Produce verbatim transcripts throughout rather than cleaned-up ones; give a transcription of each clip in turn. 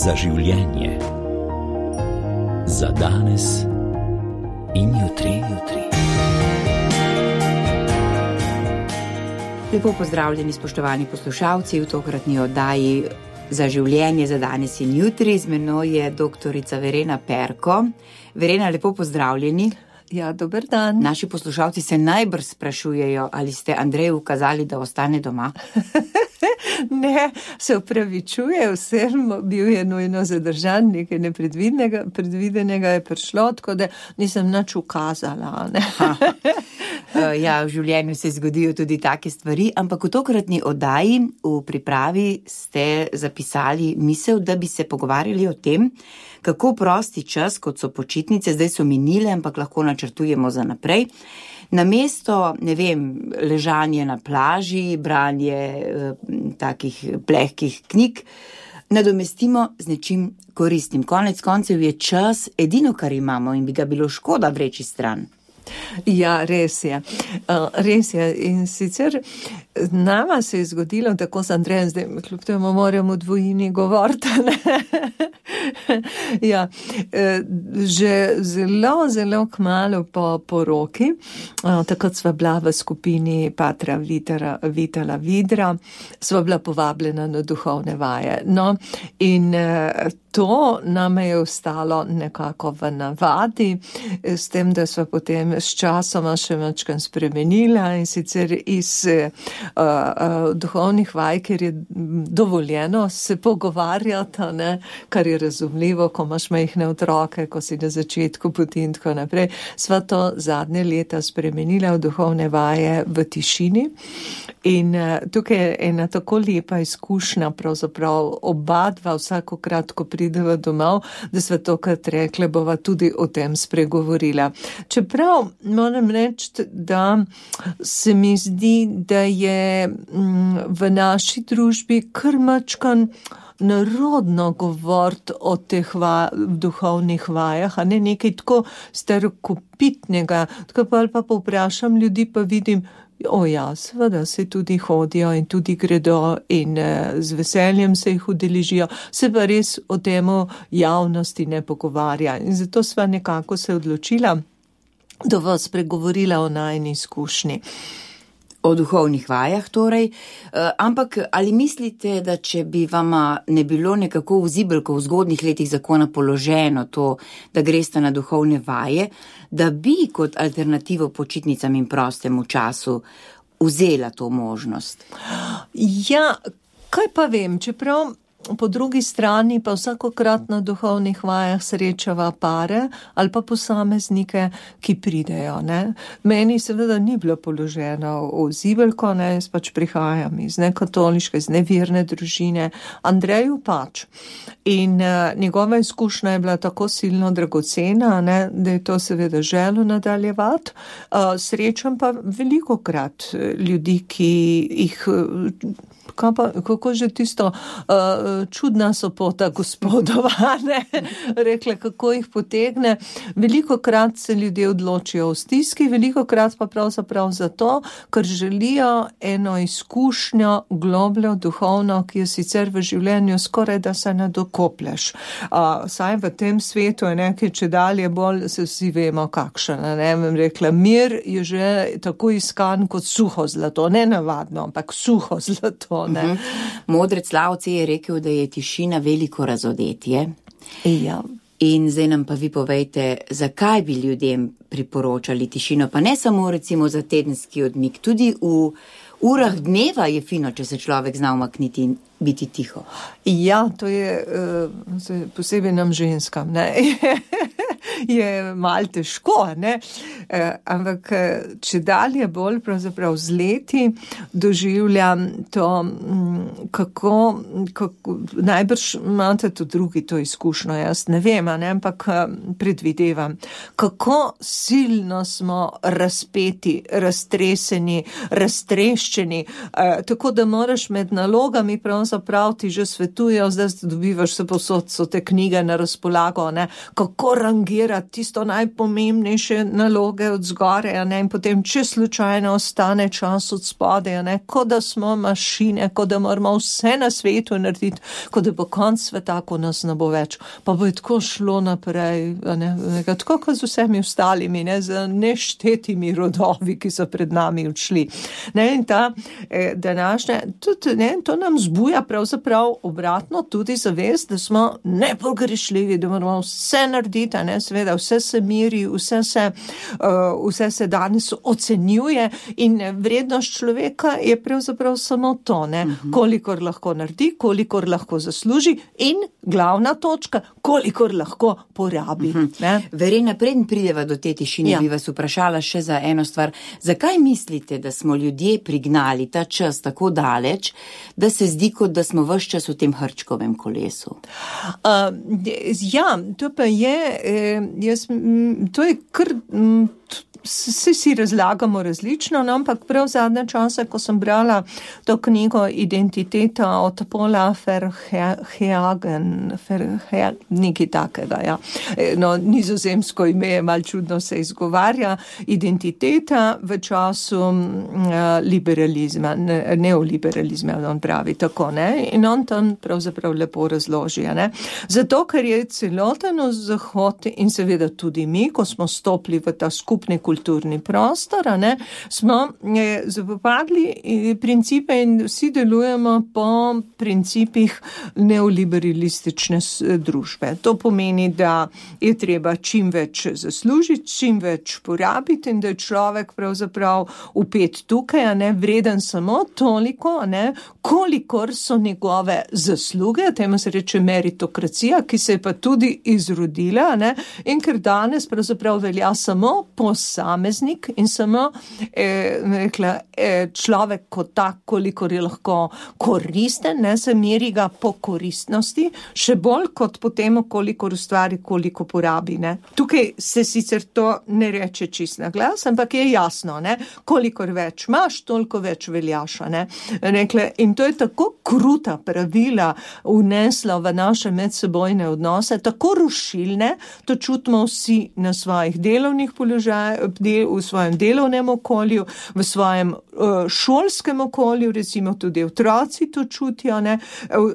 za življenje, za danes in jutri, jutri. Lepo pozdravljeni, spoštovani poslušalci, v tokratni oddaji Za življenje, za danes in jutri. Z menoj je doktorica Verena Perko. Verena, lepo pozdravljeni. Ja, dober dan. Naši poslušalci se najbrž sprašujejo, ali ste Andreju ukazali, da ostane doma. Ne, se upravičuje, vsem bil je nujno zadržan, nekaj nepredvidenega predvidenega je prišlo, tako da nisem nič ukazala. Ne? Ja, v življenju se zgodijo tudi take stvari, ampak v tokratni oddaji v pripravi ste zapisali misel, da bi se pogovarjali o tem, kako prosti čas, kot so počitnice, zdaj so minile, ampak lahko načrtujemo za naprej. Namesto, ne vem, ležanje na plaži, branje eh, takih plehkih knjig, nadomestimo z nečim koristnim. Konec koncev je čas edino, kar imamo in bi ga bilo škoda vreči stran. Ja, res je. Uh, res je. In sicer nama se je zgodilo, tako s Andrejem, zdaj kljub temu moram v dvojini govoriti, ja, že zelo, zelo kmalu po poroki, uh, takrat sva bila v skupini Patra Vitala, Vitala Vidra, sva bila povabljena na duhovne vaje. No, in uh, to nam je ostalo nekako v navadi, s tem, da sva potem s časoma še večkrat spremenila in sicer iz uh, uh, duhovnih vaj, ker je dovoljeno se pogovarjati, ne, kar je razumljivo, ko imaš majhne otroke, ko si na začetku poti in tako naprej. Sva to zadnje leta spremenila v duhovne vaje v tišini in uh, tukaj je ena tako lepa izkušnja, pravzaprav oba dva vsakokrat, ko prideva domov, da sva tokrat rekle, bova tudi o tem spregovorila. Čeprav moram reči, da se mi zdi, da je v naši družbi kar mačkan narodno govoriti o teh va, duhovnih vajah, a ne nekaj tako starokopitnega. Tako pa ali pa povprašam ljudi, pa vidim, o ja, seveda se tudi hodijo in tudi gredo in eh, z veseljem se jih udeležijo, se pa res o temu javnosti ne pogovarja. In zato sva nekako se odločila, da vas pregovorila o najni izkušnji. O duhovnih vajah torej, ampak ali mislite, da če bi vama ne bilo nekako v zibelko v zgodnih letih zakona položeno to, da greste na duhovne vaje, da bi kot alternativo počitnicam in prostemu času vzela to možnost? Ja, kaj pa vem, čeprav po drugi strani pa vsakokrat na duhovnih vajah srečava pare ali pa posameznike, ki pridejo. Ne? Meni seveda ni bilo položeno v zibelko, ne? Jaz pač prihajam iz nekatoliške, iz neverne družine, Andreju pač. In uh, njegova izkušnja je bila tako silno dragocena, ne? Da je to seveda želo nadaljevati. Uh, srečam pa velikokrat ljudi, ki jih... Pa, kako že tisto uh, čudna sopota gospodova, ne? Rekla, kako jih potegne. Velikokrat se ljudje odločijo v stiski, velikokrat pa pravzaprav zato, ker želijo eno izkušnjo globljo, duhovno, ki jo sicer v življenju skoraj da se ne dokoplješ. Uh, saj v tem svetu je nekaj, če dalje bolj se vsi vemo kakšen. Ne vem, rekla, mir je že tako iskan kot suho zlato, ne navadno, ampak suho zlato. Ne. Modrec Lao Tse je rekel, da je tišina veliko razodetje. Ja. In zdaj nam pa vi povejte, zakaj bi ljudem priporočali tišino, pa ne samo recimo za tedenski odmik, tudi v urah dneva je fino, če se človek zna umakniti in biti tiho. Ja, to je uh, posebej nam ženskam, ne? Je malo težko, ne? Uh, ampak če dalje bolj pravzaprav z leti doživljam to, um, kako, kako najbrž imate to drugi to izkušnjo, jaz ne vem, ne? Ampak predvidevam, kako silno smo razpeti, raztreseni, raztreščeni, uh, tako da moraš med nalogami pravzaprav pravzaprav ti že svetujejo, zdaj dobivaš se posod, so te knjige na razpolago, ne, kako rangirati tisto najpomembnejše naloge od zgore, ne, in potem, če slučajno ostane čas od spode, ne, kot da smo mašine, kot da moramo vse na svetu narediti, kot da bo konc sveta, ko nas ne bo več. Pa bo je tako šlo naprej, ne, tako kot z vsemi ostalimi, ne, z neštetimi rodovi, ki so pred nami odšli. Ne, in ta eh, današnja, tudi, ne, to nam zbuja pravzaprav obratno tudi zavest, da smo nepogrešljivi, da moramo vse narediti, ne, seveda vse se miri, vse se, uh, vse se danes ocenjuje in vrednost človeka je pravzaprav samo to, ne, uh-huh. kolikor lahko naredi, kolikor lahko zasluži in glavna točka, kolikor lahko porabi. Uh-huh. Ne. Verena, preden prideva do te tišine, ja. bi vas vprašala še za eno stvar. Zakaj mislite, da smo ljudje prignali ta čas tako daleč, da se zdi, kot da smo ves čas v tem hrčkovem kolesu? Uh, ja, to pa je, eh, jaz, m, to je kar, m, vsi si razlagamo različno, no, ampak prav zadnje čase, ko sem brala to knjigo Identiteta od Paula Verhagen, Verhagen, nekaj takega, ja. No, nizozemsko ime je malo čudno se izgovarja, identiteta v času uh, liberalizma, ne, neoliberalizma, on pravi tako, ne, in on tam pravzaprav lepo razloži, ne. Zato, ker je celoten Zahod in seveda tudi mi, ko smo stopili v ta skupni kulturni prostor, ne, smo eh, zapopadli principe in vsi delujemo po principih neoliberalistične družbe. To pomeni, da je treba čim več zaslužiti, čim več porabiti in da je človek pravzaprav upet tukaj, a ne, vreden samo toliko, a ne, kolikor so njegove zasluge, temu se reče meritokracija, ki se je pa tudi izrodila, a ne, in ker danes pravzaprav velja samo posameznik in samo eh, rekla, eh, človek kot tak, kolikor je lahko koristen, ne, se meri ga po koristnosti, še bolj kot po temu, koliko ustvari, koliko porabi, ne. Tukaj se sicer to ne reče čist na glas, ampak je jasno, ne, kolikor več imaš, toliko več veljaš, ne. Rekle, in to je tako kruta pravila vnesla v naše medsebojne odnose, tako rušilne, to čutimo vsi na svojih delovnih položajih, v svojem delovnem okolju, v svojem uh, šolskem okolju, recimo tudi otroci to čutijo, ne,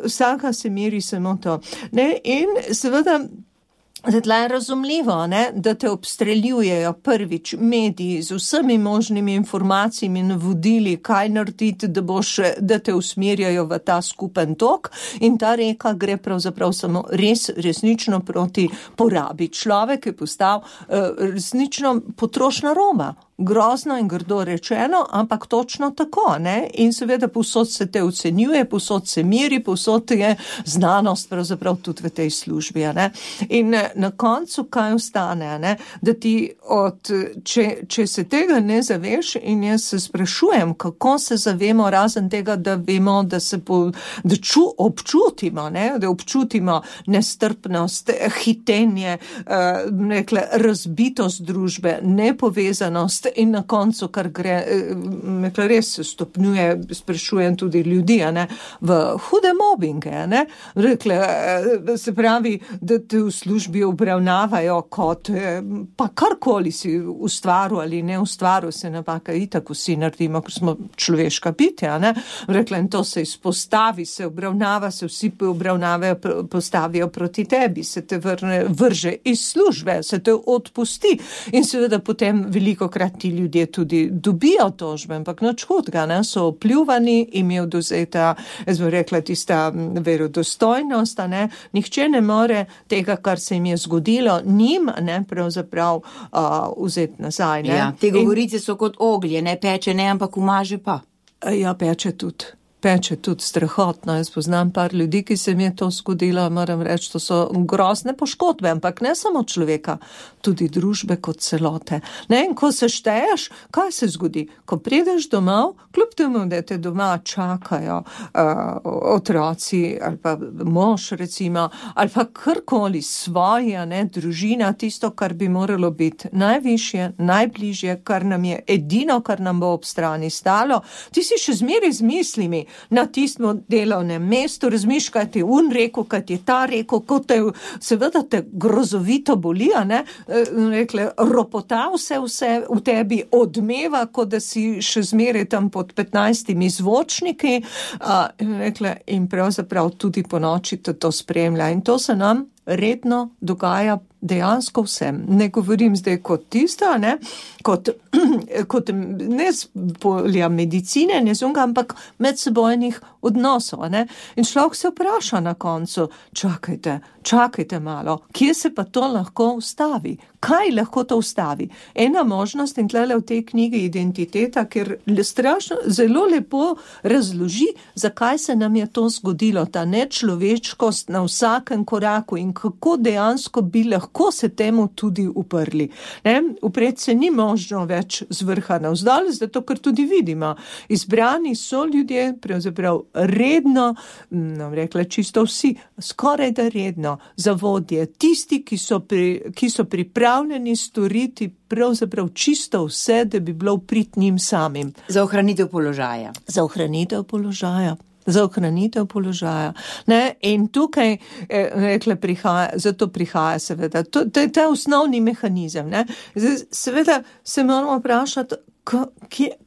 vsaka se meri samo to. Ne, in seveda Zdaj je razumljivo, ne, da te obstreljujejo prvič mediji z vsemi možnimi informacijami in vodili, kaj narediti, da, boš, da te usmerjajo v ta skupen tok in ta reka gre pravzaprav samo res, resnično proti porabi. Človek je postal uh, resnično potrošna roba. Grozno in grdo rečeno, ampak točno tako, ne? In seveda povsod se te ocenjuje, povsod se meri, povsod je znanost pravzaprav tudi v tej službi, ne? In na koncu kaj ostane, ne? Da ti od, če, če se tega ne zaveš in jaz se sprašujem, kako se zavemo razen tega, da vemo, da se po, da ču, občutimo, ne? Da občutimo nestrpnost, hitenje, uh, nekle, razbitost družbe, nepovezanost, in na koncu, kar gre, nekaj res stopnjuje, sprašujem tudi ljudi, ne, v hude mobinge, ne, rekle, se pravi, da te v službi obravnavajo kot, pa karkoli si ustvaril ali ne ustvaril, se napaka itak vsi naredimo, ker smo človeška bitja, ne, rekle, in to se izpostavi, se obravnava, se vsi obravnavajo, postavijo proti tebi, se te vrne, vrže iz službe, se te odpusti in seveda potem velikokrat ti ljudje tudi dobijo tožbe, ampak nič hudega, ne, so opljuvani, jim je odvzeta, jaz bi rekla, tista verodostojnost, ne, nihče ne more tega, kar se jim je zgodilo, njim, ne, pravzaprav uh, vzeti nazaj, ne. Ja, te govorice so kot oglje, ne peče, ne, ampak umaže pa. Ja, peče tudi. Peče tudi strahotno. Jaz poznam par ljudi, ki se mi je to zgodilo, moram reči, to so grozne poškodbe, ampak ne samo človeka, tudi družbe kot celote. Ne, in ko se šteješ, kaj se zgodi? Ko prideš domov, kljub temu, da te doma čakajo uh, otroci ali pa mož, recimo, ali pa karkoli svoja, ne, družina, tisto, kar bi moralo biti najvišje, najbližje, kar nam je edino, kar nam bo ob strani stalo, ti si še zmeraj z mislimi, na tistem delovnem mestu, razmišljaš, kaj ti un rekel, kaj ti ta rekel, kot te, seveda te grozovito boli, a ne, rekle, ropota vse, vse v tebi odmeva, kot da si še zmeraj tam pod petnajstimi zvočniki, a, rekle, in pravzaprav tudi po noči to spremlja. In to se nam redno dogaja dejansko vsem. Ne govorim zdaj kot tista, ne, kot, kot ne z polja medicine, ne zunga, ampak medsebojnih odnosov, ne. In človek se vpraša na koncu, čakajte, čakajte malo, kje se pa to lahko ustavi? Kaj lahko to ustavi? Ena možnost, in tlele v tej knjigi Identiteta, ker strašno, zelo lepo razloži, zakaj se nam je to zgodilo, ta nečloveškost na vsakem koraku in kako dejansko bi lahko se temu tudi uprli. Ne? Upred se ni možno več z vrha navzdol, zato ker tudi vidimo, izbrani so ljudje, pravzaprav redno, no, rekla čisto vsi, skoraj da redno, za vodje, tisti, ki so, pri, ki so pripravljeni storiti pravzaprav čisto vse, da bi bilo prid njim samim. Za ohranitev položaja. Za ohranitev položaja. Za ohranitev položaja. Ne? In tukaj, eh, rekla, prihaja, zato prihaja seveda, to, to je ta osnovni mehanizem. Ne? Zdaj, seveda se moramo vprašati,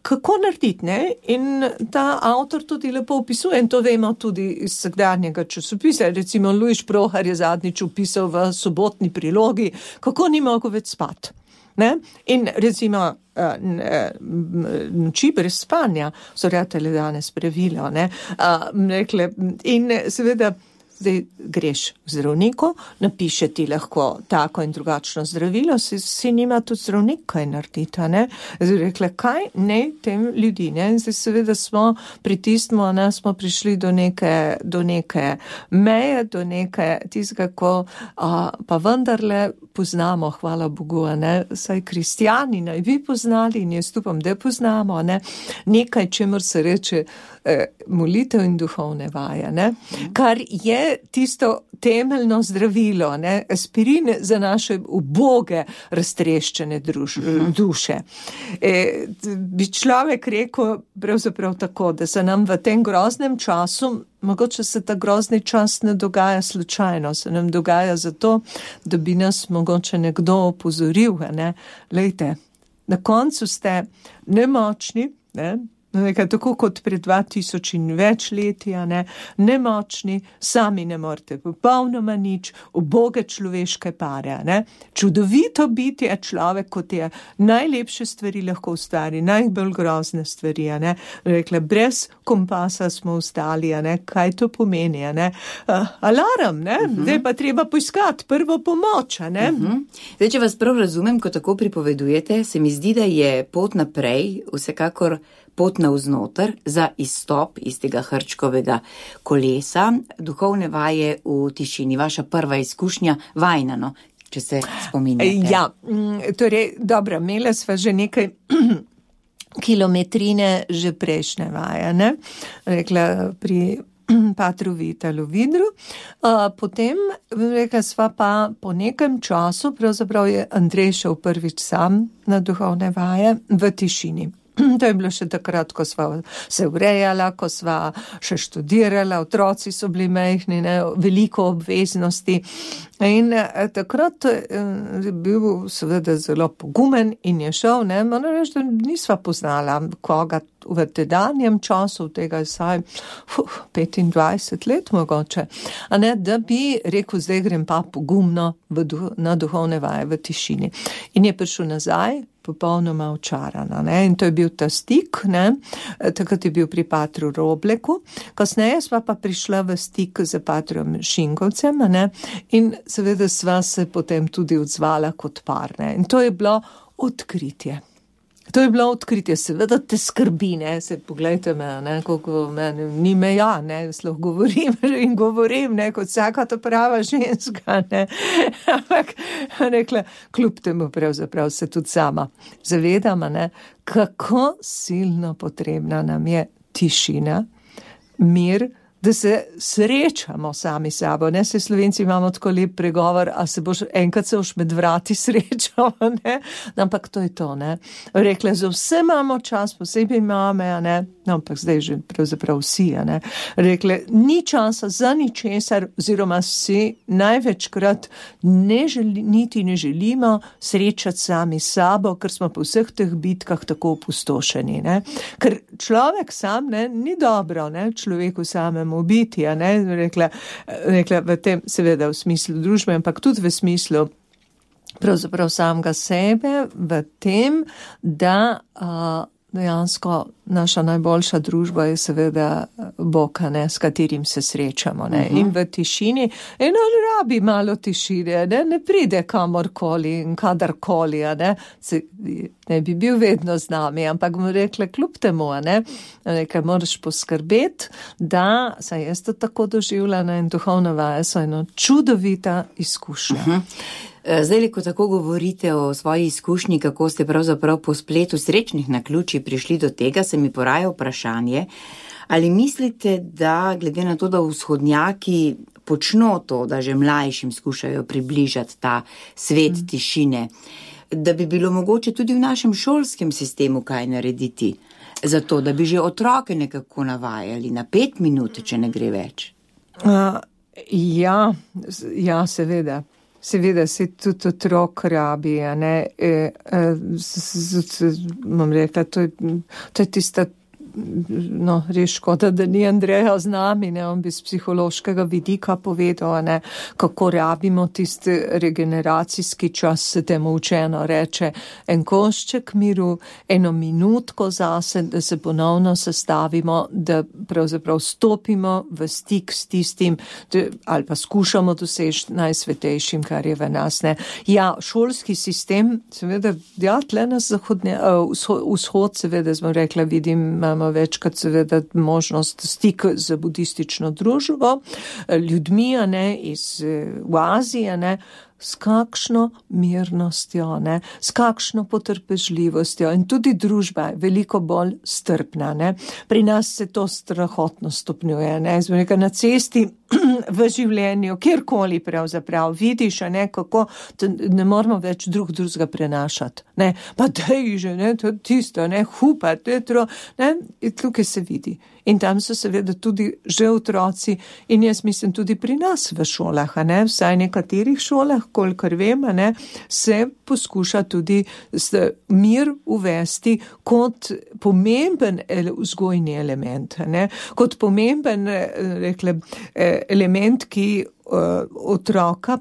kako narediti, ne? In ta avtor tudi lepo opisuje, in to vemo tudi iz vsakdanjega časopisa. Recimo Luiš Prohar je zadnjič opisal v Sobotni prilogi, kako ni mogel več spati. Ne? In recimo noči brez spanja so ratele danes pravilo, ne? Rekle, in seveda zdaj greš k zdravniku, napiše ti lahko tako in drugačno zdravilo, si, si nima tudi zdravnik kaj narediti, ne? Zdaj rekla, kaj ne tem ljudi, ne? Zdaj seveda smo pritisnemo, ne, smo prišli do neke, do neke meje, do neke tistega, ko a, pa vendarle poznamo, hvala Bogu, ne? Saj kristjani naj bi poznali in jaz upam, da poznamo, ne? Nekaj, čemur se reče eh, molitev in duhovne vaje, ne? Kar je tisto temeljno zdravilo, ne, aspirin za naše uboge, raztreščene druž, duše. E, bi človek rekel pravzaprav tako, da se nam v tem groznem času, mogoče se ta grozni čas ne dogaja slučajno, se nam dogaja zato, da bi nas mogoče nekdo opozoril, ne, lejte, na koncu ste nemočni, ne, nekaj tako kot pred dva tisoč in več letja, ne, nemočni, sami ne morete popolnoma nič, uboge človeške pare, ne. Čudovito biti je človek, kot je najlepše stvari lahko ustvari, najbolj grozne stvari, ne. Rekla, brez kompasa smo ustali, ne, kaj to pomeni, ne. Uh, alarm, ne, uh-huh. Zdaj pa treba poiskati prvo pomoč, ne. Uh-huh. Zdaj, če vas prav razumem, ko tako pripovedujete, se mi zdi, da je pot naprej vsekakor pot navznoter za izstop iz tega hrčkovega kolesa, duhovne vaje v tišini, vaša prva izkušnja vajnano, če se spominjate. Ja, torej, dobro, imela sva že nekaj kilometrine že prejšnje vaje, ne? Rekla pri patru Vitalu Vidru, potem rekla sva pa po nekem času, pravzaprav je Andrej šel prvič sam na duhovne vaje v tišini. To je bilo še takrat, ko sva se urejala, ko sva še študirala, otroci so bili majhni, ne, veliko obveznosti. In takrat je bil seveda zelo pogumen in je šel, ne, moram reči, da nisva poznala koga v tedanjem času, tega je saj uh, petindvajset let mogoče, a ne, da bi rekel, zdaj grem pa pogumno v, na duhovne vaje v tišini. In je prišel nazaj, popolnoma očarana, ne, in to je bil ta stik, ne, takrat je bil pri patru Robleku, kasneje sva pa prišla v stik z patrom Šinkovcem, ne, in seveda sva se potem tudi odzvala kot par, ne, in to je bilo odkritje. To je bilo odkritje, seveda te skrbi, ne, se pogledajte me, ne, koliko meni ni meja, ne, sloh govorim in govorim, ne, kot vsaka ta prava ženska, ne, ampak rekla, kljub temu pravzaprav se tudi sama zavedam, ne, kako silno potrebna nam je tišina, mir, da se srečamo sami sabo, ne, se Slovenci imamo tako lep pregovor, a se boš, enkrat se boš med vrati srečal, ne, ampak to je to, ne, rekla, za vse imamo čas, posebej mame, ne, no, ampak zdaj že pravzaprav vsi, ne, rekle, ni časa za ničesar, oziroma si največkrat ne želi, niti ne želimo srečati sami sabo, ker smo po vseh teh bitkah tako opustošeni, ne. Ker človek sam, ne, ni dobro, ne, človeku samemu biti, ne, rekla, rekla v tem, seveda v smislu družbe, ampak tudi v smislu pravzaprav samega sebe, v tem, da a, dejansko naša najboljša družba je seveda Bog, ne, s katerim se srečamo, ne, uh-huh. in v tišini, in on rabi malo tišine, ne, ne pride kamorkoli in kadarkoli, ne, se, ne bi bil vedno z nami, ampak mu rekla, kljub temu, ne, nekaj moraš poskrbeti, da se jaz to tako doživljena in duhovna vaja so eno čudovita izkušnja. Uh-huh. Zdaj, ko tako govorite o svoji izkušnji, kako ste pravzaprav po spletu srečnih naključij prišli do tega, se mi poraja vprašanje, ali mislite, da glede na to, da vzhodnjaki počno to, da že mlajšim skušajo približati ta svet mm. tišine, da bi bilo mogoče tudi v našem šolskem sistemu kaj narediti, zato da bi že otroke nekako navajali na pet minut, če ne gre več? Uh, ja, ja, seveda. Seveda se tudi otrok rabi, a ne, e, e, bom rekla, to je, to je tista, no, res škoda, da ni Andreja z nami, ne, on bi z psihološkega vidika povedal, ne, kako rabimo tisti regeneracijski čas, se temu učeno reče, en košček miru, eno minutko zase, da se ponovno sestavimo, da pravzaprav stopimo v stik s tistim, da, ali pa skušamo doseči najsvetejšim, kar je v nas, ne. Ja, šolski sistem, seveda, ja, tle nas zahodnje, uh, vzhod, seveda, smo rekla, vidim, imamo večkrat seveda možnost stik z budistično družbo, ljudmi, a ne, iz v Aziji, a ne, s kakšno mirnostjo, ne, s kakšno potrpežljivostjo in tudi družba je veliko bolj strpna, ne. Pri nas se to strahotno stopnjuje, ne, smo nekaj na cesti v življenju, kjerkoli pravzaprav vidiš, a ne, kako ne moramo več drug drugega prenašati, ne, pa dej že, ne, to tisto, ne, hupa, tetro, ne, in tukaj se vidi. In tam so seveda tudi že otroci in jaz mislim tudi pri nas v šolah, a ne, vsaj nekaterih šolah, kolikor vem, a ne, se poskuša tudi mir uvesti kot pomemben vzgojni element, a ne, kot pomemben, rekle, element, ki otroka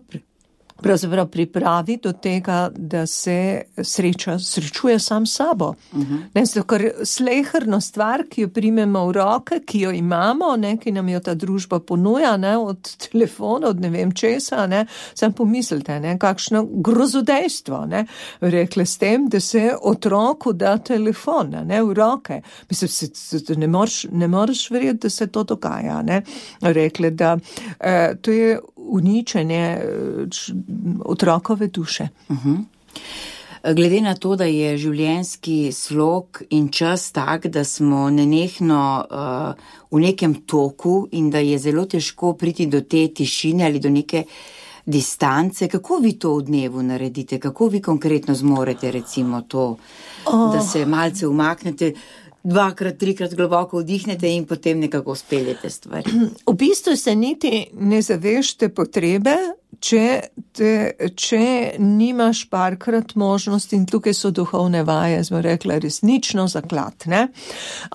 pravzaprav pripravi do tega, da se sreča, srečuje sam sabo. Uh-huh. Ne, zato, ker sleherno stvar, ki jo primemo v roke, ki jo imamo, ne, ki nam jo ta družba ponuja, ne, od telefona, od ne vem česa, ne, sam pomislite, ne, kakšno grozodejstvo, ne, rekle s tem, da se otroku da telefon, ne, v roke. Mislim, se, ne moreš, ne moreš verjeti, da se to dogaja, ne. Rekle, da eh, to je uničenje otrokove duše. Uh-huh. Glede na to, da je življenjski slog in čas tak, da smo nenehno uh, v nekem toku in da je zelo težko priti do te tišine ali do neke distance, kako vi to v dnevu naredite? Kako vi konkretno zmorete recimo to, oh. da se malce umaknete, dvakrat, trikrat globoko vdihnete in potem nekako speljete stvari? V bistvu se niti ne zavešte potrebe, če, te, če nimaš parkrat možnosti, in tukaj so duhovne vaje, smo rekla, resnično zaklad, ne.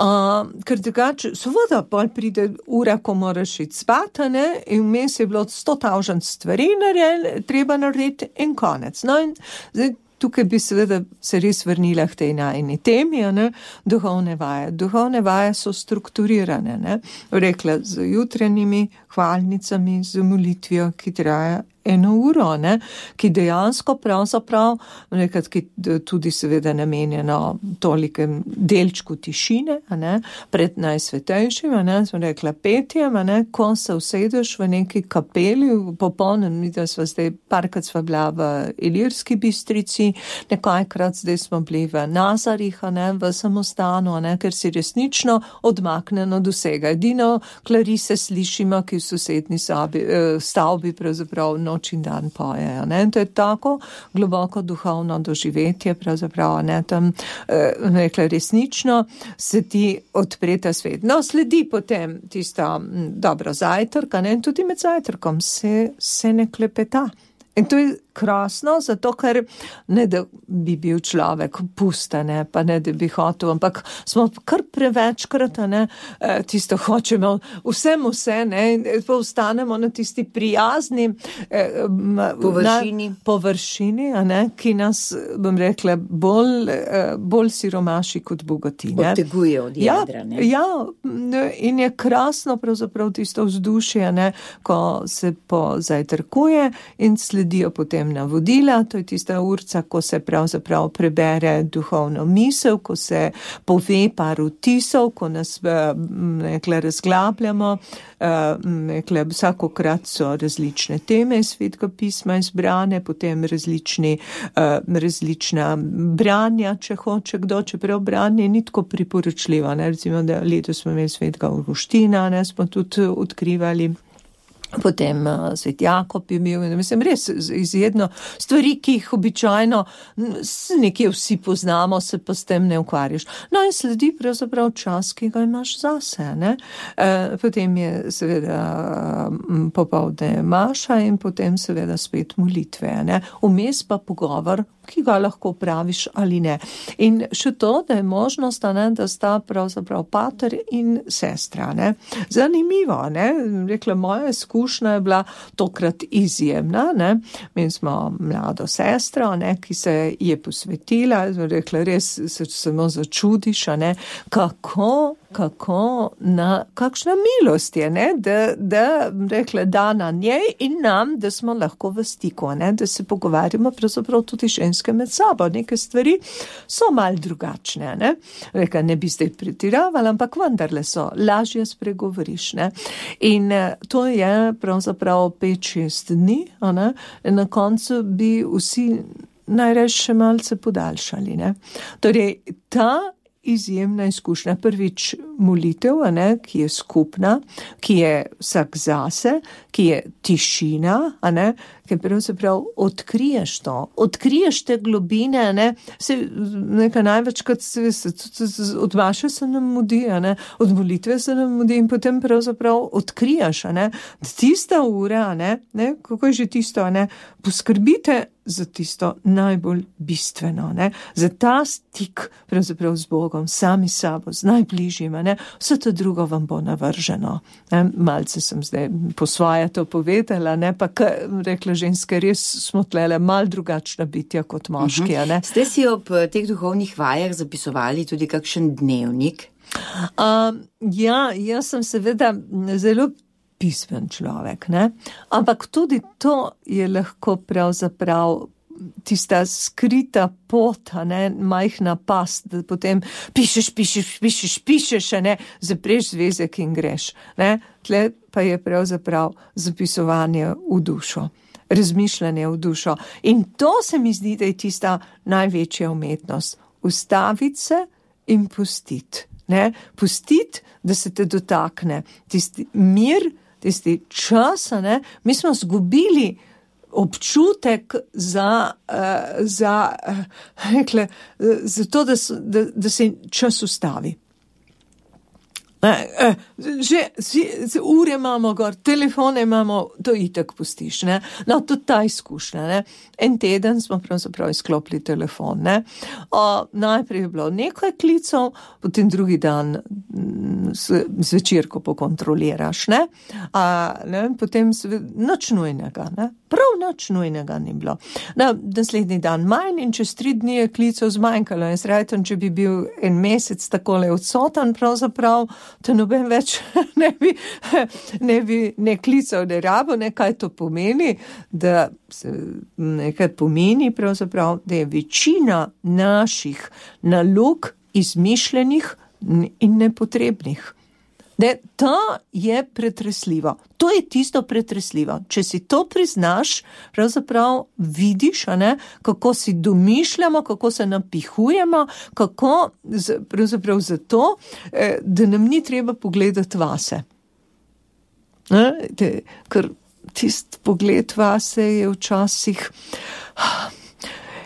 Uh, ker drugače, seveda, pol pride ura, ko moraš iti spat, ne, in vmes je bilo sto tavžent stvari narediti, treba narediti in konec. No, in zdaj, tukaj bi seveda se res vrnila k tej najini temi, ne, duhovne vaje. Duhovne vaje so strukturirane, ne, rekla, z jutranjimi hvalnicami, z molitvijo, ki traja eno uro, ne, ki dejansko pravzaprav, nekaj, ki tudi seveda namenjeno tolikem delčku tišine, a ne, pred najsvetejšim, a ne, smo rekla petjem, a ne, ko se usedeš v neki kapeli, popolnem, mi da sva zdaj, parkrat sva bila v Ilirski Bistrici, nekajkrat zdaj smo bili v Nazarih, a ne, v samostanu, a ne, ker si resnično odmaknjeno od vsega. Edino klarise slišimo, ki v sosednji sobi, stavbi pravzaprav noč noč in dan pojejo. Ne? To je tako globoko duhovno doživetje, pravzaprav, ne, tam, eh, rekla, resnično se ti odpre ta svet. No, sledi potem tisto dobro zajtrka, ne, in tudi med zajtrkom se, se ne klepeta. In to je krasno, zato ker ne da bi bil človek pusta, ne, pa ne da bi hotel, ampak smo kar prevečkrat, ne, tisto hočemo vsem vse, ne, in pa ostanemo na tisti prijazni eh, površini, na, površini a ne, ki nas, bom rekla, bolj, eh, bolj siromaši kot bogati. Odteguje od jedra, ne. Ja, ja, in je krasno pravzaprav tisto vzdušje, ne, ko se pozajtrkuje in sledijo potem navodila, to je tista urca, ko se pravzaprav prebere duhovno misel, ko se pove par vtisov, ko nas nekle razglabljamo, nekle vsakokrat so različne teme iz Svetega pisma izbrane, potem različni, različna branja, če hoče kdo, čeprav branje ni tako priporočljivo, ne, recimo, da letos smo imeli Svetega Avguština, ne, smo tudi odkrivali. Potem uh, Svet Jakob je bil, mislim, res izjedno stvari, ki jih običajno nekje vsi poznamo, se pa s tem ne ukvarjaš. No in sledi pravzaprav čas, ki ga imaš zase, ne. Uh, potem je seveda uh, popoldne maša in potem seveda spet molitve, ne. Vmes pa pogovor, ki ga lahko praviš ali ne. In še to, da je možnost, ne, da sta pravzaprav pater in sestra, ne. Zanimivo, ne, rekla, moja izkušnja je bila tokrat izjemna, ne. Mi smo mlado sestro, ne, ki se je posvetila, rekla, res se samo začudiš, ne, kako kako na, kakšna milost je, ne, da, da rekla, da na njej in nam, da smo lahko v stiku, ne, da se pogovarjamo pravzaprav tudi ženske med sabo. Neke stvari so mal drugačne, ne. Rekla, ne bi zdaj pretiravala, ampak vendarle so, lažje spregovoriš, ne. In to je pravzaprav pet, šest dni, a ne, in na koncu bi vsi najraje še malce podaljšali, ne. Torej, ta izjemna izkušnja, prvič molitev, a ne, ki je skupna, ki je vsak zase, ki je tišina, a ne, ki pravzaprav odkriješ to, odkriješ te globine, a ne, se nekaj največkrat se, se, se, se od maše se nam mudi, a ne, od molitve se nam mudi in potem pravzaprav odkriješ, a ne, tista ura, a ne, ne, kako je že tisto, a ne, poskrbite za tisto najbolj bistveno, ne, za ta stik pravzaprav z Bogom, sami sabo, z najbližjima, ne, vse to drugo vam bo navrženo. Ne, malce sem zdaj po svoje to povedala, ne, pa k, rekla ženske, res smo tlele mal drugačna bitja kot moški, a ne. Ste si ob teh duhovnih vajah zapisovali tudi kakšen dnevnik? Um, ja, jaz sem seveda zelo pismen človek, ne? Ampak tudi to je lahko pravzaprav tista skrita pot, ne, majhna past, da potem pišeš, pišeš, pišeš, pišeš, ne, zapreš zvezek in greš, ne. Tle pa je pravzaprav zapisovanje v dušo, razmišljanje v dušo. In to se mi zdi, da je tista največja umetnost. Ustaviti se in pustiti, ne. Pustiti, da se te dotakne. Tisti mir, tisti čas, ne, mi smo zgubili občutek za, uh, za, uh, rekle, uh, za to, da, da, da se čas ustavi. Eh, že si, ure imamo gor, telefone imamo, to itak pustiš, ne. No, tudi ta izkušnja, ne. En teden smo pravzaprav izklopili telefon, ne. O, najprej je bilo nekaj klicov, potem drugi dan zvečer, ko pokontroliraš, ne. A, ne, potem nič nujnega, ne. Prav nič nujnega ni bilo. Na, naslednji dan manj in čez tri dni je klicev zmanjkalo. In sreten, če bi bil en mesec takole odsoten, pravzaprav te noben več ne bi, ne bi ne klical, ne rabo, ne kaj to pomeni, da se nekaj pomeni pravzaprav, da je večina naših nalog izmišljenih in nepotrebnih. Ne, to je pretresljivo. To je tisto pretresljivo. Če si to priznaš, pravzaprav vidiš, a ne, kako si domišljamo, kako se napihujemo, kako pravzaprav zato, da nam ni treba pogledati vase. Ne, te, ker tist pogled vase je včasih,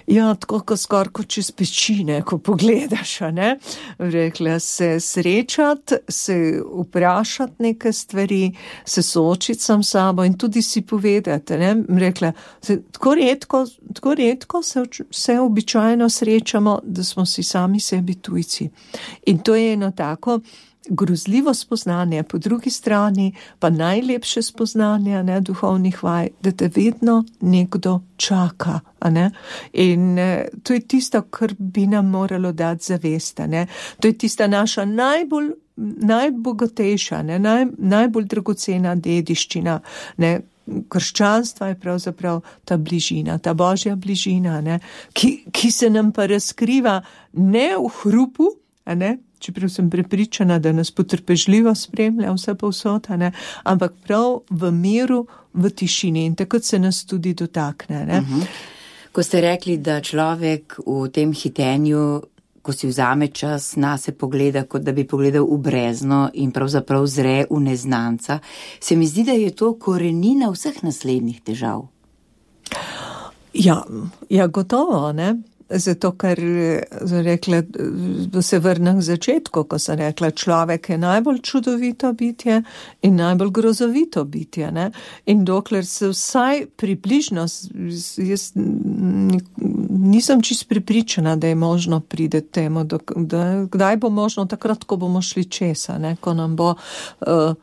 ja, tako ko skoraj kot čez pečine, ko pogledaš, a ne, rekla, se srečati, se vprašati neke stvari, se soočiti sam sabo in tudi si povedati, ne, rekla, se, tako redko, tako redko se, se običajno srečamo, da smo si sami sebi tujci. In to je eno tako grozljivo spoznanje, po drugi strani pa najlepše spoznanje, ne, duhovnih vaj, da te vedno nekdo čaka, a ne, in eh, to je tisto, kar bi nam moralo dati zavest, a ne, to je tista naša najbolj, najbogatejša, ne, naj, najbolj dragocena dediščina, ne, krščanstva je pravzaprav ta bližina, ta božja bližina, ne, ki, ki se nam pa razkriva ne v hrupu, a ne, čeprav sem prepričana, da nas potrpežljivo spremlja vse povsod, ne, ampak prav v miru, v tišini in takrat se nas tudi dotakne. Ne. Uh-huh. Ko ste rekli, da človek v tem hitenju, ko si vzame čas, na se pogleda, kot da bi pogledal v brezno in pravzaprav zre v neznanca, se mi zdi, da je to korenina vseh naslednjih težav. Ja, ja, gotovo, ne. Zato, ker rekla, da se vrnem k začetku, ko sem rekla, človek je najbolj čudovito bitje in najbolj grozovito bitje, ne? In dokler se vsaj približno, jaz nisem čist pripričana, da je možno pride temu, da, da, kdaj bo možno takrat, ko bomo šli česa, ne? Ko nam bo uh,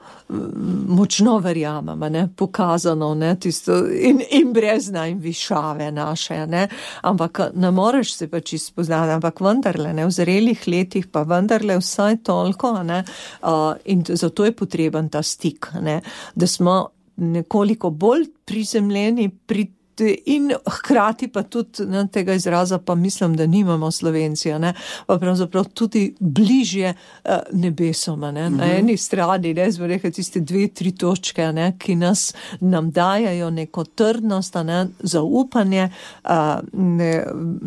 močno verjamem, ne? Pokazano, ne? Tisto, in, in brezna in višave naše, ne? Ampak ne more se pa čisto spoznati, ampak vendarle, ne, v zrelih letih pa vendarle vsaj toliko, ne, uh, in zato je potreben ta stik, ne, da smo nekoliko bolj prizemljeni pri in hkrati pa tudi ne, tega izraza pa mislim, da nimamo Slovenci, ne, pa pravzaprav tudi bližje uh, nebesom, ne, mm-hmm. Na eni strani, ne, smo rekli tiste dve, tri točke, ne, ki nas nam dajajo neko trdnost, ne, zaupanje, uh, ne,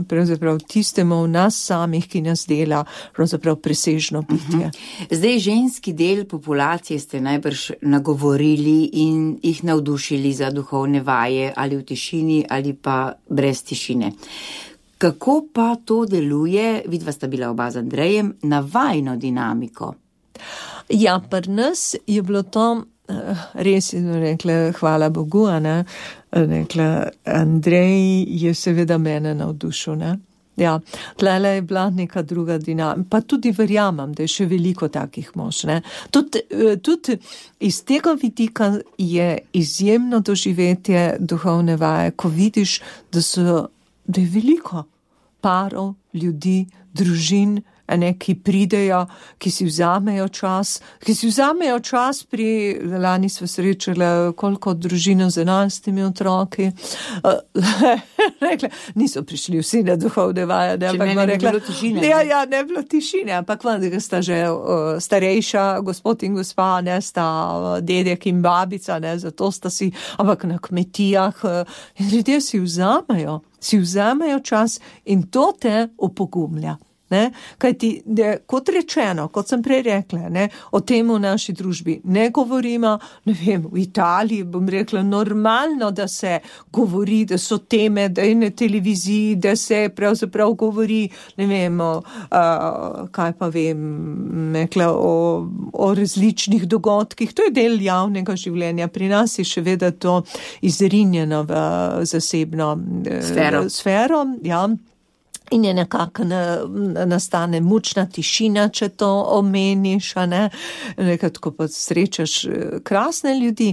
pravzaprav tistemu v nas samih, ki nas dela pravzaprav presežno bitje. Mm-hmm. Zdaj, ženski del populacije ste najbrž nagovorili in jih navdušili za duhovne vaje ali v tišini ali pa brez tišine. Kako pa to deluje, vidva sta bila oba z Andrejem, na vajno dinamiko? Ja, pri nas je bilo to, res je rekla, hvala Bogu, ne, rekla, Andrej je seveda mene navdušil, ne. Ja, tlele je bila neka druga dinamika, pa tudi verjamem, da je še veliko takih mož, ne. Tudi, tudi iz tega vidika je izjemno doživetje duhovne vaje, ko vidiš, da so, da je veliko parov, ljudi, družin, ne, ki pridejo, ki si vzamejo čas, ki si vzamejo čas pri, lani smo srečali koliko družino z enajstimi otroki, rekla, niso prišli vsi na duhovne vaje, ne, ampak ne rekla, bilo tišine, ja, ja, ne bilo tišine, ampak vendar sta že uh, starejša, gospod in gospa, ne, sta uh, dedek in babica, ne, zato sta si, ampak na kmetijah, uh, in ljudje si vzamejo, si vzamejo čas in to te opogumlja. Ne, kaj ti, de, kot rečeno, kot sem prej rekla, ne, o tem v naši družbi ne govorimo, ne vem, v Italiji bom rekla normalno, da se govori, da so teme, da je na televiziji, da se pravzaprav govori, ne vem, o, a, kaj pa vem, rekla, o, o različnih dogodkih, to je del javnega življenja, pri nas je še vedno to izrinjeno v zasebno sfero, sfero, ja. In je nekako na, nastane mučna tišina, če to omeniš, a ne, nekaj tako pa srečaš krasne ljudi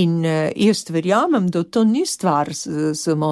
in jaz verjamem, da to ni stvar samo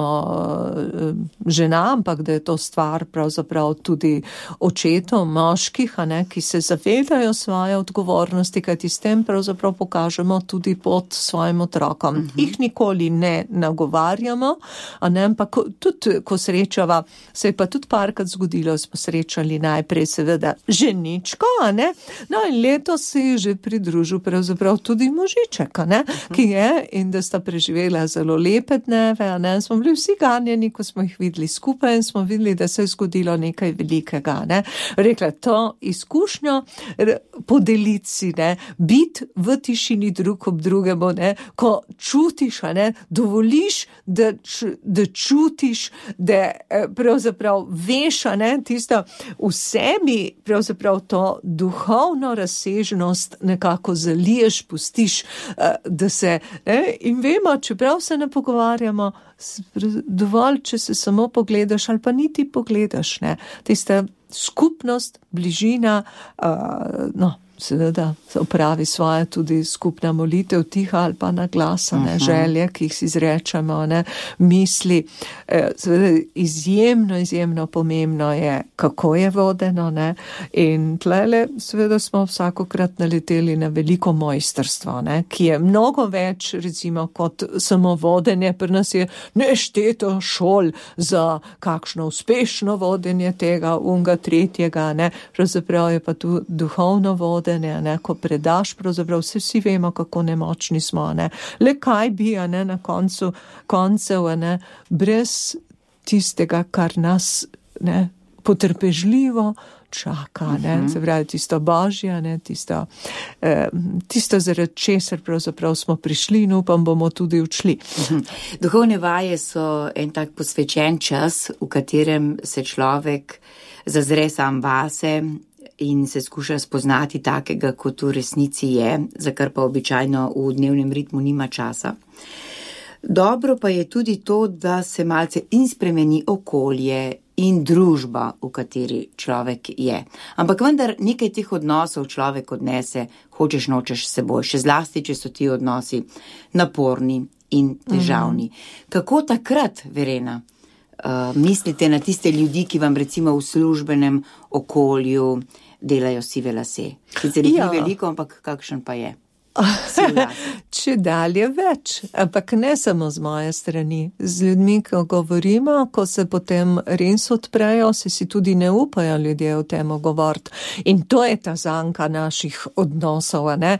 žena, ampak da je to stvar pravzaprav tudi očetov, moških, a ne, ki se zavedajo svoje odgovornosti, kajti s tem pravzaprav pokažemo tudi pot svojim otrokom. Uh-huh. Jih nikoli ne nagovarjamo, a ne, ampak tudi, ko srečava, se pa tudi tudi parkrat zgodilo, smo srečali najprej seveda ženičko, a ne? No in letos se je že pridružil pravzaprav tudi možiček, a ne? Ki je in da sta preživela zelo lepe dneve, a ne? Smo bili vsi ganjeni, ko smo jih videli skupaj in smo videli, da se je zgodilo nekaj velikega, ne? Rekla, to izkušnjo podeliti si, ne? Biti v tišini drug ob drugemu, ne? Ko čutiš, a ne? Dovoliš, da, da čutiš, da pravzaprav veš, a ne, tisto v sebi, pravzaprav to duhovno razsežnost nekako zaliješ, pustiš, da se, ne, in vemo, čeprav se ne pogovarjamo, dovolj, če se samo pogledaš ali pa niti pogledaš, ne, tista skupnost, bližina, uh, no, seveda opravi svoje tudi skupna molitev, tiha ali pa na glas, ne, želje, ki jih si izrečemo, ne, misli. Seveda izjemno, izjemno pomembno je, kako je vodeno, ne, in tlele seveda smo vsakokrat naleteli na veliko mojstrstvo, ne, ki je mnogo več, recimo, kot samo vodenje. Pri nas je nešteto šol za kakšno uspešno vodenje tega, unga, tretjega, ne, pravzaprav je pa tu duhovno vodenje, Ne, ko predaš, pravzaprav vse vsi vemo, kako nemočni smo, ne. Le kaj bi, a ne, na koncu, koncev, a ne, brez tistega, kar nas, ne, potrpežljivo čaka, ne, uh-huh. Se pravi, tisto božje, ne, tisto, eh, tisto zaradi česar pravzaprav smo prišli in upam, bomo tudi odšli. Uh-huh. Duhovne vaje so en tak posvečen čas, v katerem se človek zazre sam vase in se skuša spoznati takega, kot v resnici je, za kar pa običajno v dnevnem ritmu nima časa. Dobro pa je tudi to, da se malce in spremeni okolje in družba, v kateri človek je. Ampak vendar nekaj teh odnosov človek odnese, hočeš nočeš s seboj, še zlasti, če so ti odnosi naporni in težavni. Mhm. Kako takrat, Verena, uh, mislite na tiste ljudi, ki vam recimo v službenem okolju delajo sive lase? Sicer jih ni veliko, ampak kakšen pa je? Če dalje več, ampak ne samo z moje strani. Z ljudmi, ko govorimo, ko se potem res odprejo, se si tudi ne upajo ljudje o tem govoriti. In to je ta zanka naših odnosov, ne?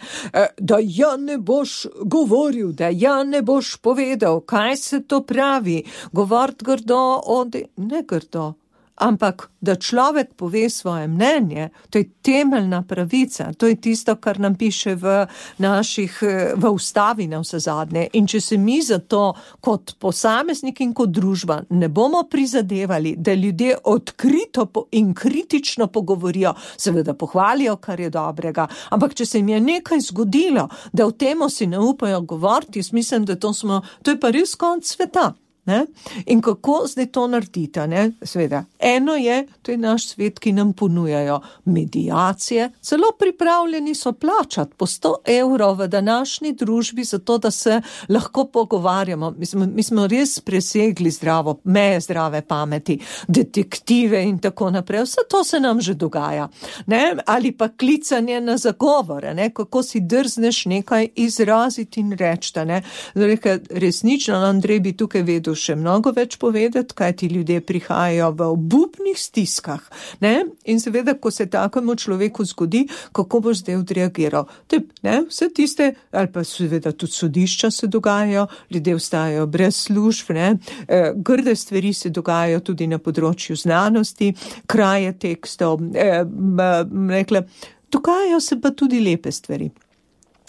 Da ja ne boš govoril, da ja ne boš povedal, kaj se to pravi. Govoriti grdo, odi, ne grdo. Ampak, da človek pove svoje mnenje, to je temeljna pravica, to je tisto, kar nam piše v naših, v ustavi na vse zadnje. In če se mi za to kot posameznik in kot družba ne bomo prizadevali, da ljudje odkrito in kritično pogovorijo, seveda pohvalijo, kar je dobrega, ampak če se jim je nekaj zgodilo, da v temo si ne upajo govoriti, jaz mislim, da to smo, to je pa res konec sveta. Ne? In kako zdaj to narediti, ne? Sveda, eno je, to je naš svet, ki nam ponujajo medijacije, celo pripravljeni so plačati po sto evrov v današnji družbi za to, da se lahko pogovarjamo. Mi smo, mi smo res presegli zdravo, meje zdrave pameti, detektive in tako naprej. Vse to se nam že dogaja. Ne? Ali pa klicanje na zagovore, ne? Kako si drzneš nekaj izraziti in reči. Resnično, Andrej bi tukaj vedel še mnogo več povedati, kaj ti ljudje prihajajo v obupnih stiskah. Ne? In seveda, ko se takemu človeku zgodi, kako boš zdaj odreagiral. Te, ne? Vse tiste, ali pa seveda tudi sodišča se dogajajo, ljudje ostajajo brez služb, ne? E, grde stvari se dogajajo tudi na področju znanosti, kraje tekstov, e, rekla, dogajajo se pa tudi lepe stvari.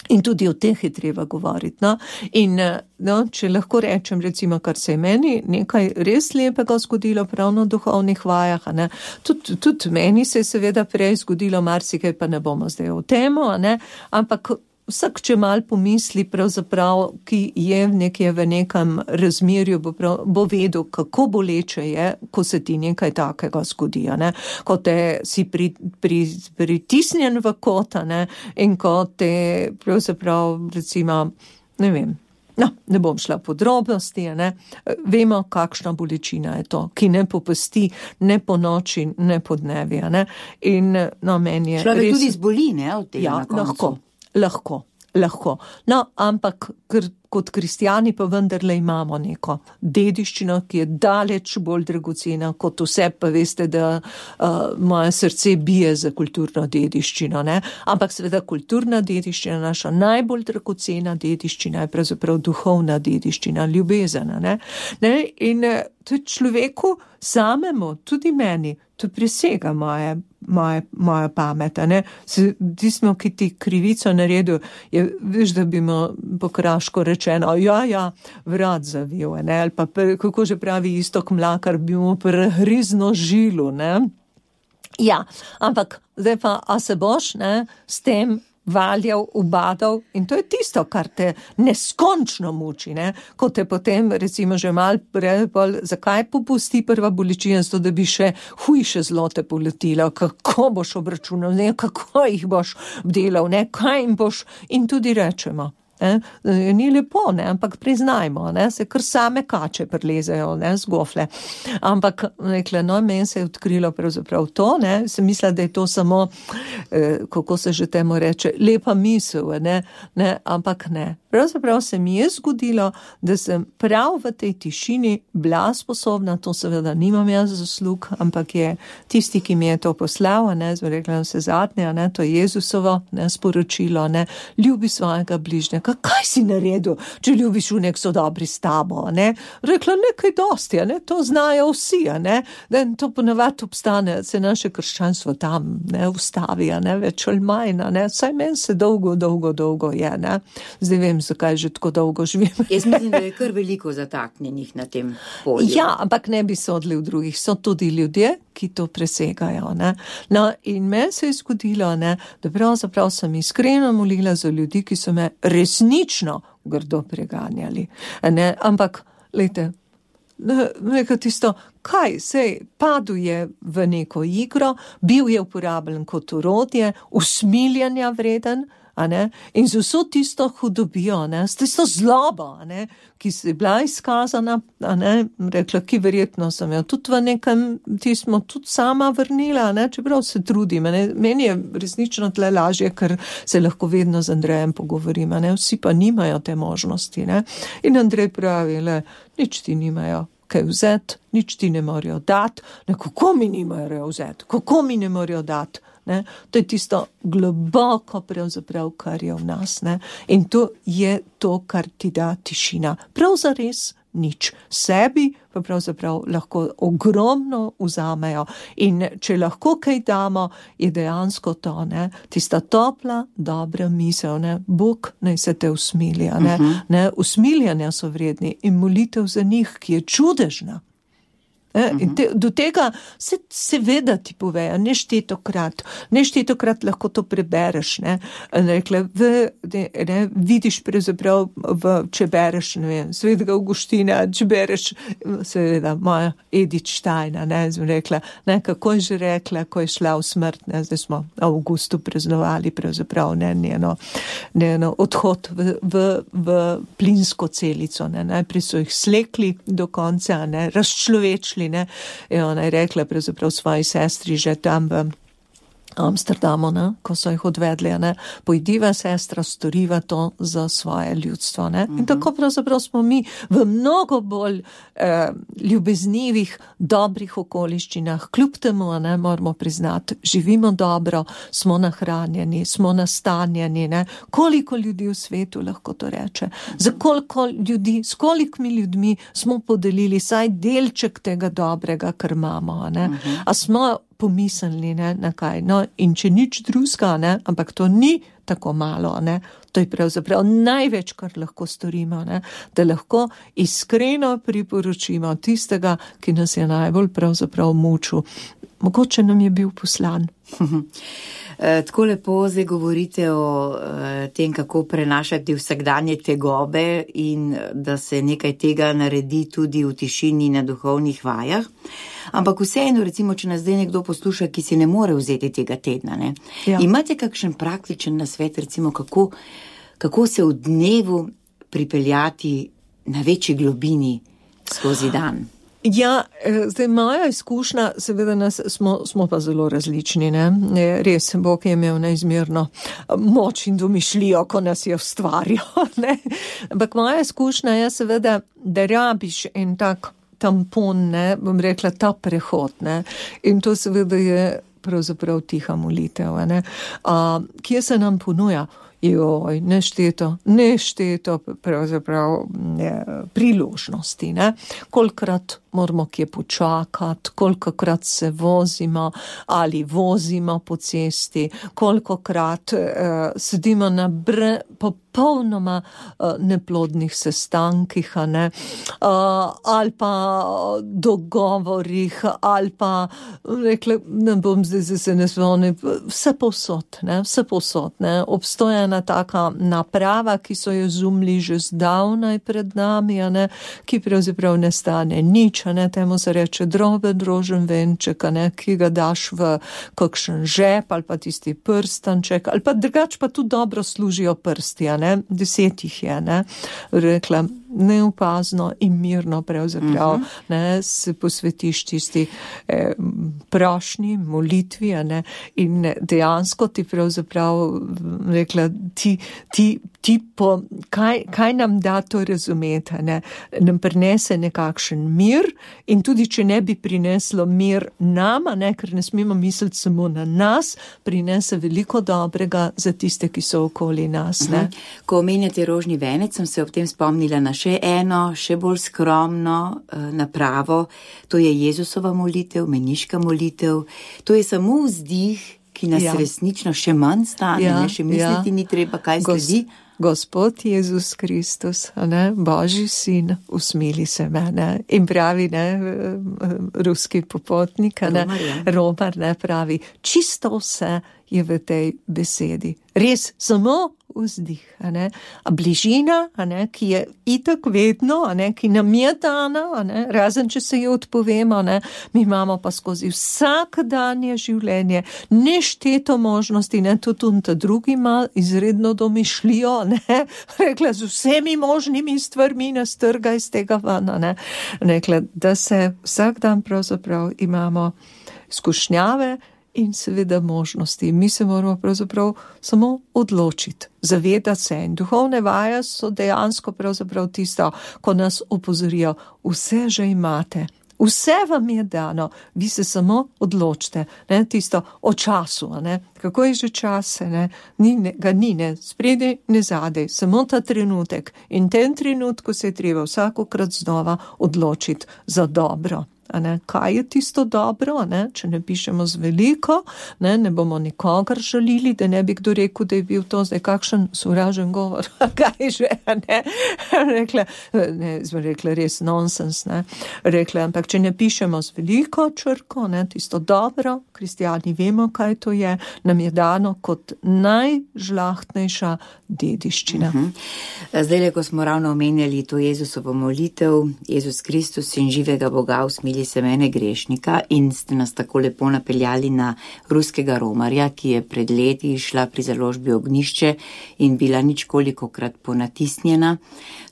In tudi o teh je treba govoriti. No? In no, če lahko rečem, recimo, kar se je meni nekaj res lepega zgodilo prav na duhovnih vajah, a ne? Tud, tudi meni se je seveda prej zgodilo marsikaj, pa ne bomo zdaj o temo, a ne? Ampak vsak, če mal pomisli, pravzaprav, ki je nekje v nekem razmerju, bo, prav, bo vedel, kako boleče je, ko se ti nekaj takega zgodi, ne? Ko te si pri, pri, pritisnjen v kota, ne? In ko te pravzaprav, recimo, ne vem, no, ne bom šla v podrobnosti, ne? Vemo, kakšna bolečina je to, ki ne popusti, ne po noči, ne po dnevi, ne? In no, meni je človek res... tudi zboli, ne, od tega ja, na koncu. Lahko. Lahko, lahko. No, ampak ker kot kristjani pa vendarle imamo neko dediščino, ki je daleč bolj dragocena kot vse, pa veste, da uh, moje srce bije za kulturno dediščino, ne? Ampak seveda kulturna dediščina, naša najbolj dragocena dediščina je pravzaprav duhovna dediščina, ljubezena, ne? Ne? In to je človeku samemu, tudi meni, to presega moje Moja, moja pamet, ne. Tismo, ki ti krivico naredil, je, veš, da bi mu po kraško rečeno, ja, ja, vrat zavil, ne, ali pa, kako že pravi Istok Mlakar, bi mu prehrizno žilu, ne. Ja, ampak zdaj pa, a se boš, ne, s tem valjal, ubadal in to je tisto, kar te neskončno muči, ne, ko te potem, recimo, že mal prej, zakaj popusti prva bolečina, zato da bi še hujše zlote poletila, kako boš obračunal, ne, kako jih boš delal, ne, kaj jim boš, in tudi rečemo. Ne, ni lepo, ne, ampak priznajmo, ne, se kar same kače prilezajo, ne, z gofle. Ampak, rekla, no, meni se je odkrilo pravzaprav to, ne, sem mislila, da je to samo, eh, kako se že temu reče, lepa misel, ne, ne, ampak ne. Pravzaprav se mi je zgodilo, da sem prav v tej tišini bila sposobna, to seveda nimam jaz zaslug, ampak je tisti, ki mi je to poslal, ne, zelo rekla se zadnje, ne, to je Jezusovo, ne, sporočilo, ne, ljubi svojega bližnjega. Kaj si naredil, če ljubiš v nek so dobri s tabo, ne? Rekla, nekaj dosti, ne? To znajo vsi, ne? Da to ponavadi obstane, se naše krščanstvo tam, ne, ustavi, ne, več ali manj, ne? Saj meni se dolgo, dolgo, dolgo je, ne? Zdaj vem, zakaj že tako dolgo živim. Jaz mislim, da je kar veliko zataknjenih na tem polju. Ja, ampak ne bi sodili v drugih, so tudi ljudje, ki to presegajo, ne. No, in meni se je zgodilo, ne, da pravzaprav sem iskreno molila za ljudi, ki so me resnično grdo preganjali, ne, ampak, lejte, nekaj tisto, kaj, sej, padel je v neko igro, bil je uporabljen kot orodje, usmiljanja vreden, a ne, in z vso tisto hudobijo, ne, s tisto zlobo, a ne, ki se je bila izkazana, a ne, rekla, ki verjetno sem jo tudi v nekem, ti smo tudi sama vrnila, ne, čeprav se trudim, ne, meni je resnično tle lažje, ker se lahko vedno z Andrejem pogovorim, ne, vsi pa nimajo te možnosti, ne, in Andrej pravi, le, nič ti nimajo kaj vzeti, nič ti ne morajo dati, ne, kako mi nimajo vzeti, kako mi ne morajo dati, ne, to je tisto globoko pravzaprav, kar je v nas, ne, in to je to, kar ti da tišina, prav zares nič, sebi pa pravzaprav lahko ogromno vzamejo in če lahko kaj damo, je dejansko to, ne, tista topla, dobra misel, ne, Bog naj se te usmilja, ne, uh-huh. ne, usmiljanja so vredni in molitev za njih, ki je čudežna. In te, do tega se seveda ti povejo, neštetokrat, neštetokrat lahko to prebereš, ne, rekla, v, ne, vidiš pravzaprav, v, če bereš, ne vem, Svetega Avguština, če bereš, seveda, moja Edith Steina, ne, sem rekla, ne, kako je že rekla, ko je šla v smrt, ne, zdaj smo v avgustu praznovali pravzaprav, ne, njeno, njeno odhod v, v, v plinsko celico, ne, najprej so jih slekli do konca, ne, razčlovečili, ne, in ona je rekla pravzaprav svoji sestri že tam v Amsterdamu, ne, ko so jih odvedli, ne, pojdiva sestra, storiva to za svoje ljudstvo, ne, in tako pravzaprav smo mi v mnogo bolj eh, ljubeznivih, dobrih okoliščinah, kljub temu, ne, moramo priznati, živimo dobro, smo nahranjeni, smo nastanjeni, ne, koliko ljudi v svetu lahko to reče, za koliko ljudi, s kolikimi ljudmi smo podelili saj delček tega dobrega, kar imamo, ne, a smo pomislili, ne, na kaj. No, in če nič drugega, ne, ampak to ni tako malo, ne, to je pravzaprav največ, kar lahko storimo, ne, da lahko iskreno priporočimo tistega, ki nas je najbolj pravzaprav mučil. Mogoče nam je bil poslan. Tako lepo zdaj govorite o tem, kako prenašati vsakdanje tegobe in da se nekaj tega naredi tudi v tišini na duhovnih vajah. Ampak vseeno, recimo, če nas zdaj nekdo posluša, ki si ne more vzeti tega tedna, ne? Ja. Imate kakšen praktičen nasvet, recimo, kako, kako se v dnevu pripeljati na večji globini skozi dan? Ja, zdaj moja izkušnja, seveda nas smo, smo pa zelo različni, ne. Res, Bog je imel neizmerno moč in domišljijo, ko nas je ustvarjal, ne. Ampak moja izkušnja je seveda, da rabiš en tak tampon, ne, bom rekla, ta prehod, ne. In to seveda je pravzaprav tiha molitev, ne. A, kje se nam ponuja? Joj, nešteto, nešteto pravzaprav ne, priložnosti, ne. Kolikrat moramo kje počakati, kolikokrat se vozimo ali vozimo po cesti, kolikokrat eh, sedimo na bre, popolnoma eh, neplodnih sestankih, ne, eh, ali pa dogovorih, ali pa, rekla, ne bom zdaj se ne spomnim, vse povsod, ne, vse povsod, ne, obstoja ena taka naprava, ki so jo zumli že zdavnaj pred nami, ne, ki pravzaprav ne stane nič, ne, temu se reče droben drožen venček, ne, ki ga daš v kakšen žep ali pa tisti prstanček, ali pa drugač pa tudi dobro služijo prsti, ne, deset jih je, ne, rekla, neopazno in mirno pravzaprav, uh-huh. ne, se posvetiš tisti eh, prošnji, molitvi, ne, in dejansko ti pravzaprav, rekla, ti, ti, ti po, kaj, kaj nam da to razumeti, ne, nam prinese nekakšen mir in tudi, če ne bi prineslo mir nama, ne, ker ne smemo misliti samo na nas, prinese veliko dobrega za tiste, ki so okoli nas, ne. Uh-huh. Ko omenjate rožni venec, sem se ob tem spomnila na še eno, še bolj skromno uh, napravo, to je Jezusova molitev, meniška molitev, to je samo vzdih, ki nas ja. resnično še manj stane, ja, ne, še misliti ja. ni treba, kaj Gos, sledi. Gospod Jezus Kristus, ne, Božji sin, usmili se me, ne, in pravi, ne, ruski popotnik, ne, Romar, ja. Romar, ne, pravi, čisto vse je v tej besedi. Res, samo vzdih, a ne, a bližina, a ne, ki je itak vedno, a ne, ki nam je dana, a ne, razen če se jo odpovemo, ne, mi imamo pa skozi vsakdanje življenje nešteto možnosti, ne, tudi on ta drugi ima izredno domišljijo, ne, rekla, z vsemi možnimi stvarmi nas trga iz tega vana, ne, rekla, da se vsak dan pravzaprav imamo skušnjave in seveda možnosti. Mi se moramo pravzaprav samo odločiti, zavedati se. In duhovne vaje so dejansko pravzaprav tisto, ko nas opozorijo, vse že imate, vse vam je dano, vi se samo odločite, ne, tisto o času, ne, kako je že čas, ne, ni, ne, ga ni, ne, spredaj, ne zadej, samo ta trenutek in ten trenutku se je treba vsakokrat znova odločiti za dobro. A ne, kaj je tisto dobro, ne, če ne pišemo z veliko, ne, ne bomo nikogar žalili, da ne bi kdo rekel, da je bil to zdaj kakšen sovražen govor, kaj že, ne, rekla, ne, smo rekla res nonsens, ne, rekla, ampak če ne pišemo z veliko črko, ne, tisto dobro, kristjani vemo, kaj to je, nam je dano kot najžlahtnejša dediščina. Uh-huh. Zdaj, ko smo ravno omenjali to Jezusovo molitev, Jezus Kristus in živega Boga usmili se mene grešnika in ste nas tako lepo napeljali na ruskega romarja, ki je pred leti šla pri založbi Ognjišče in bila ničkolikokrat ponatisnjena.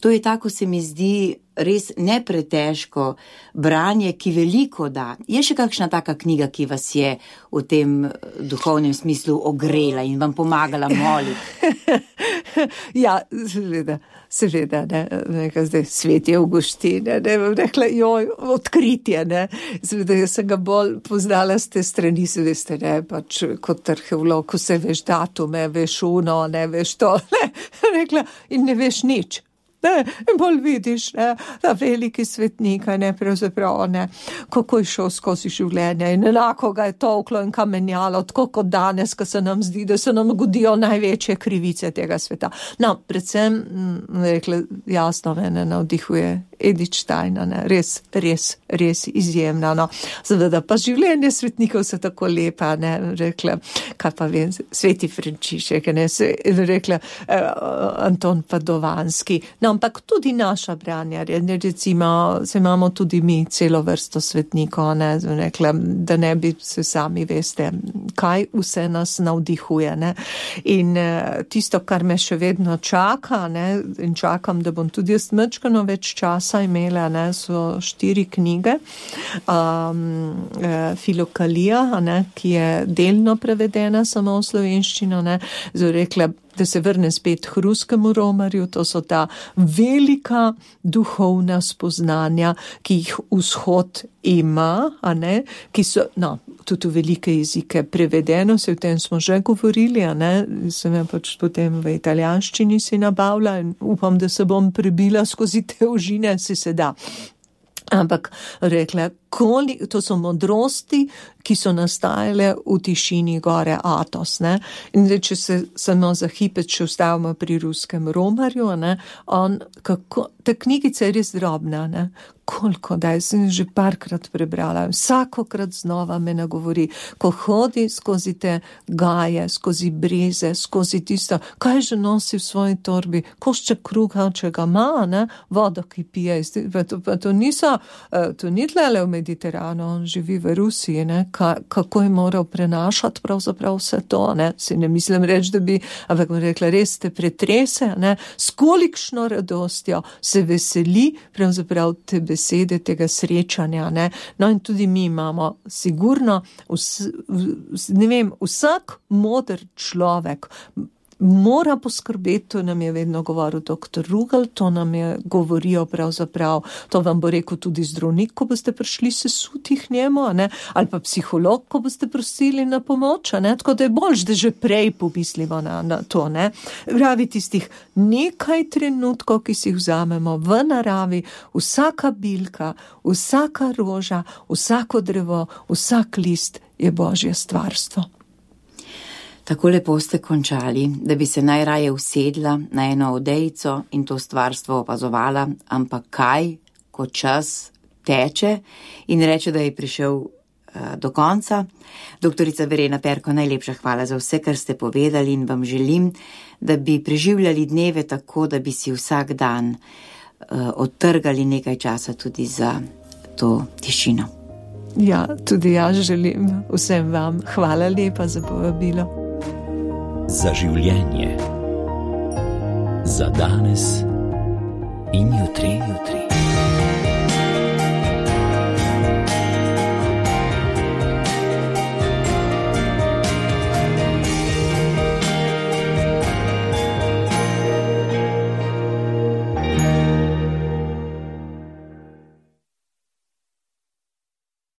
To je tako, se mi zdi, res nepretežko branje, ki veliko da. Je še kakšna taka knjiga, ki vas je v tem duhovnem smislu ogrela in vam pomagala moliti? Ja, seveda, seveda, ne, nekaj zdaj Sveti Avguštin, ne, ne, rekla, joj, odkritje, ne, seveda, jaz sem ga bolj poznala z te strani, se veste, ne, pač kot arheolog, ko se veš datume, veš uno, ne, veš to, ne, rekla, in ne veš nič. Ne, in bolj vidiš, ne, ta veliki svetnik, ne, pravzaprav, ne, kako je šel skozi življenje in enako ga je tolklo in kamenjalo, tako kot danes, ko se nam zdi, da se nam godijo največje krivice tega sveta. No, predvsem, rekla, jasno, mene navdihuje Edith Stein, ne, res, res, res izjemna, no. Seveda pa življenje svetnikov so tako lepa, ne, rekla, kaj pa vem, Sveti Frančišek, ne, se, rekla, eh, Anton Padovanski, no, ampak tudi naša branja, ne, recimo, se imamo tudi mi celo vrsto svetnikov, ne, rekla, da ne bi se sami veste, kaj vse nas navdihuje, ne, in eh, tisto, kar me še vedno čaka, ne, in čakam, da bom tudi jaz mečkano več časa časa imela, ne, so štiri knjige, um, Filokalija, ne, ki je delno prevedena samo v slovenščino, ne, zdaj rekla, da se vrne spet k ruskemu romarju, to so ta velika duhovna spoznanja, ki jih vzhod ima, a ne, ki so, no, tudi v velike jezike prevedeno, se v tem smo že govorili, a ne, sem jo pač potem v italijanščini si nabavila in upam, da se bom prebila skozi te ožine, si se da. Ampak rekla, koli, to so modrosti, ki so nastajale v tišini gore Atos, ne. In zdaj, če se samo za hipec še ustavimo pri ruskem romarju, ne, on, kako, ta knjigica je res drobna, ne. Koliko, da sem že parkrat prebrala, vsakokrat znova me nagovori, ko hodi skozi te gaje, skozi breze, skozi tisto, kaj že nosi v svoji torbi, košček kruha, če ga ima, ne, vodo, ki pije, pa to, pa to niso, to ni tlele v Mediteranu, on živi v Rusiji, ne, Ka, kako je moral prenašati pravzaprav vse to, ne, si ne mislim reči, da bi, ampak bom rekla, res te pretrese, ne, s kolikšno radostjo se veseli pravzaprav te besede tega srečanja, ne. No in tudi mi imamo sigurno, vs, ne vem, vsak moder človek mora poskrbeti, to nam je vedno govoril doktor Rugel, to nam je govorijo pravzaprav, to vam bo rekel tudi zdravnik, ko boste prišli sesuti k njemu, ne, ali pa psiholog, ko boste prosili na pomoč, ne, tako da je boljš, da že prej pomislimo na, na to, ne. Pravi tistih nekaj trenutkov, ki si jih vzamemo v naravi, vsaka bilka, vsaka roža, vsako drevo, vsak list je Božje stvarstvo. Tako lepo ste končali, da bi se najraje usedla na eno odejico in to stvarstvo opazovala, ampak kaj, ko čas teče in reče, da je prišel uh, do konca. Doktorica Verena Perko, najlepša hvala za vse, kar ste povedali in vam želim, da bi preživljali dneve tako, da bi si vsak dan uh, odtrgali nekaj časa tudi za to tišino. Ja, tudi jaz želim vsem vam. Hvala lepa za povabilo. Za življenje, za danes in jutri, jutri.